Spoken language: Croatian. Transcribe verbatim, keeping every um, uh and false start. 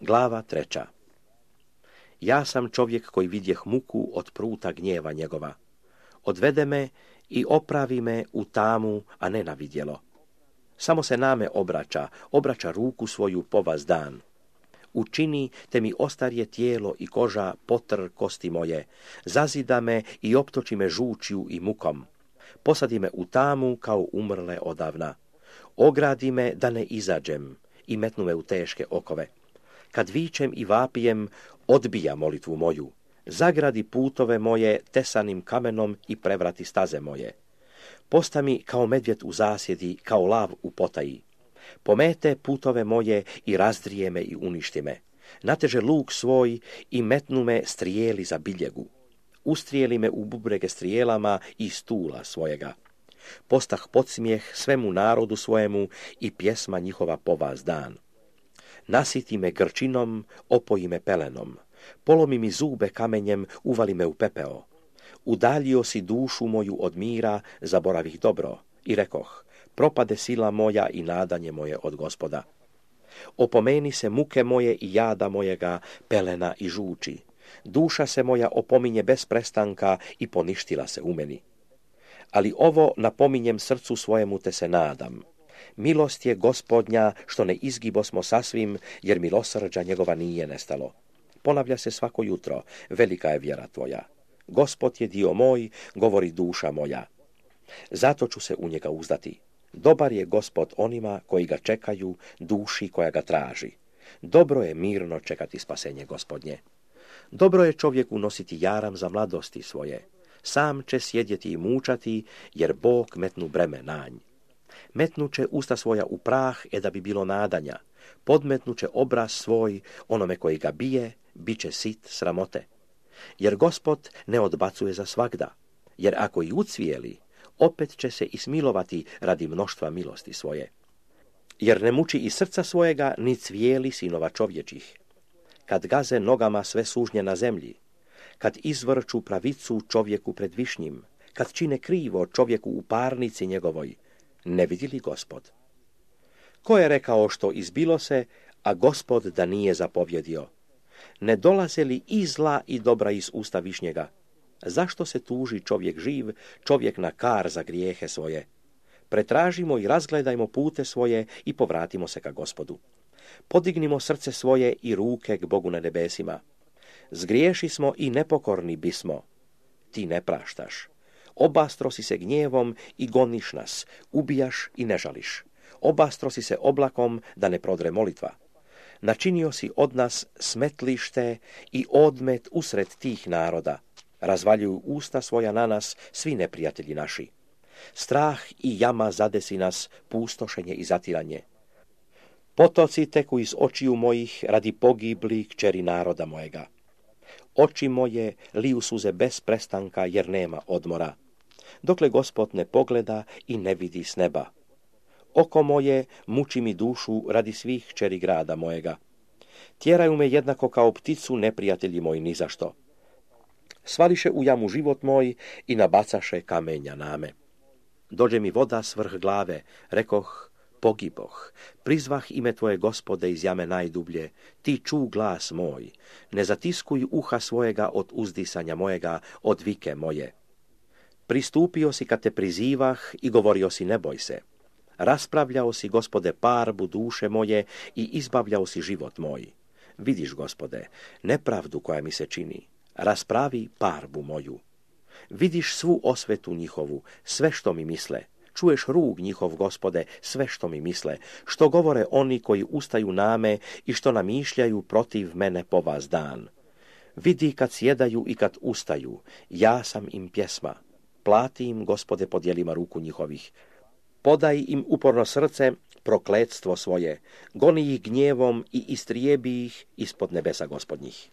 Glava treća. Ja sam čovjek koji vidjeh muku od pruta gnjeva njegova. Odvede me i opravi me u tamu, a ne na vidjelo. Samo se name obraća, obraća ruku svoju po vas dan. Učini te mi ostarje tijelo i koža potr kosti moje, zazida me i optoči me žučju i mukom. Posadi me u tamu kao umrle odavna. Ogradi me da ne izađem i metnu me u teške okove. Kad vičem i vapijem, odbija molitvu moju. Zagradi putove moje tesanim kamenom i prevrati staze moje. Posta mi kao medvjed u zasjedi, kao lav u potaji. Pomete putove moje i razdrije me i uništi me. Nateže luk svoj i metnu me strijeli za biljegu. Ustrijeli me u bubrege strijelama i stula svojega. Postah podsmijeh svemu narodu svojemu i pjesma njihova po vas dan. Nasiti me grčinom, opoji me pelenom. Polomi mi zube kamenjem, uvali me u pepeo. Udaljio si dušu moju od mira, zaboravih dobro. I rekoh, propade sila moja i nadanje moje od Gospoda. Opomeni se muke moje i jada mojega, pelena i žuči. Duša se moja opominje bez prestanka i poništila se u meni. Ali ovo napominjem srcu svojemu te se nadam. Milost je Gospodnja što ne izgibosmo sasvim, jer milosrđa njegova nije nestalo. Ponavlja se svako jutro, velika je vjera tvoja. Gospod je dio moj, govori duša moja. Zato ću se u njega uzdati. Dobar je Gospod onima koji ga čekaju, duši koja ga traži. Dobro je mirno čekati spasenje Gospodnje. Dobro je čovjeku nositi jaram za mladosti svoje. Sam će sjedjeti i mučati, jer Bog metnu breme nanj. Metnuće usta svoja u prah, e da bi bilo nadanja. Podmetnuće obraz svoj, onome koji ga bije, bit će sit sramote. Jer Gospod ne odbacuje za svagda, jer ako i ucvijeli, opet će se ismilovati radi mnoštva milosti svoje. Jer ne muči i srca svojega, ni cvijeli sinova čovječih. Kad gaze nogama sve sužnje na zemlji, kad izvrču pravicu čovjeku pred višnjim, kad čine krivo čovjeku u parnici njegovoj, ne vidi li Gospod? Ko je rekao što izbilo se, a Gospod da nije zapovjedio? Ne dolaze li i zla i dobra iz usta višnjega? Zašto se tuži čovjek živ, čovjek na kar za grijehe svoje? Pretražimo i razgledajmo pute svoje i povratimo se ka Gospodu. Podignimo srce svoje i ruke k Bogu na nebesima. Zgriješi smo i nepokorni bismo. Ti ne praštaš. Obastro si se gnjevom i goniš nas, ubijaš i ne žališ. Obastro si se oblakom da ne prodre molitva. Načinio si od nas smetlište i odmet usred tih naroda. Razvaljuju usta svoja na nas svi neprijatelji naši. Strah i jama zadesi nas, pustošenje i zatiranje. Potoci teku iz očiju mojih radi pogibli kćeri naroda mojega. Oči moje liju suze bez prestanka jer nema odmora. Dokle Gospod ne pogleda i ne vidi s neba. Oko moje muči mi dušu radi svih kćeri grada mojega. Tjeraju me jednako kao pticu neprijatelji moji nizašto. Svališe u jamu život moj i nabacaše kamenja name. Dođe mi voda s vrh glave, rekoh, pogiboh. Prizvah ime tvoje Gospode iz jame najdublje, ti ču glas moj. Ne zatiskuj uha svojega od uzdisanja mojega, od vike moje. Pristupio si kad te prizivah i govorio si ne boj se. Raspravljao si, Gospode, parbu duše moje i izbavljao si život moj. Vidiš, Gospode, nepravdu koja mi se čini. Raspravi parbu moju. Vidiš svu osvetu njihovu, sve što mi misle. Čuješ rug njihov, Gospode, sve što mi misle, što govore oni koji ustaju name i što namišljaju protiv mene po vas dan. Vidi kad sjedaju i kad ustaju, ja sam im pjesma. Plati im, Gospode, po djelima ruku njihovih. Podaj im uporno srce, prokletstvo svoje. Goni ih gnjevom i istrijebi ih ispod nebesa Gospodnjih.